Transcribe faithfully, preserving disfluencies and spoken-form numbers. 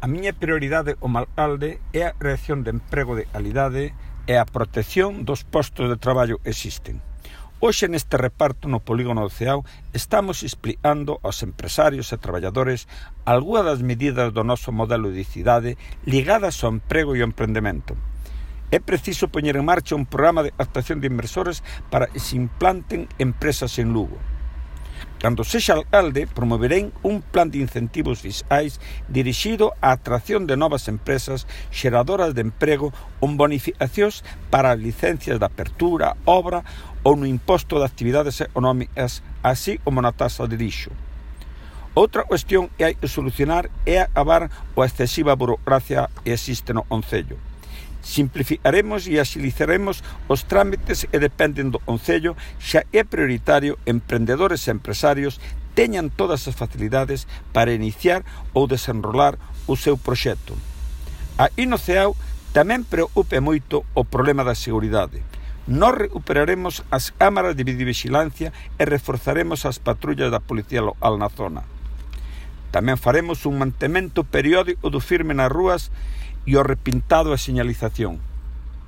A miña prioridade o Malcalde é a creación de emprego de calidade e a protección dos postos de traballo existen. Hoxe neste reparto no polígono do Ceao estamos explicando aos empresarios e traballadores algunhas das medidas do noso modelo de cidade ligadas ao emprego e ao emprendemento. É preciso poñer en marcha un programa de captación de inversores para que se implanten empresas en Lugo. Cando sexa alcalde, promoverei un plan de incentivos fiscais dirixido á atracción de novas empresas xeradoras de emprego con bonificacións para as licencias de apertura, obra ou no imposto de actividades económicas, así como na taxa de lixo. Outra cuestión que hai que solucionar é acabar coa excesiva burocracia que existe no concello. Simplificaremos e axilizaremos os trámites que dependen do concello, xa é prioritario emprendedores e empresarios teñan todas as facilidades para iniciar ou desenrolar o seu proxecto. Aquí no Ceao tamén preocupe moito o problema da seguridade. Nós recuperaremos as cámaras de videovigilancia e reforzaremos as patrullas da Policía Local na zona. Tamén faremos un mantemento periódico do firme nas rúas e o repintado e señalización.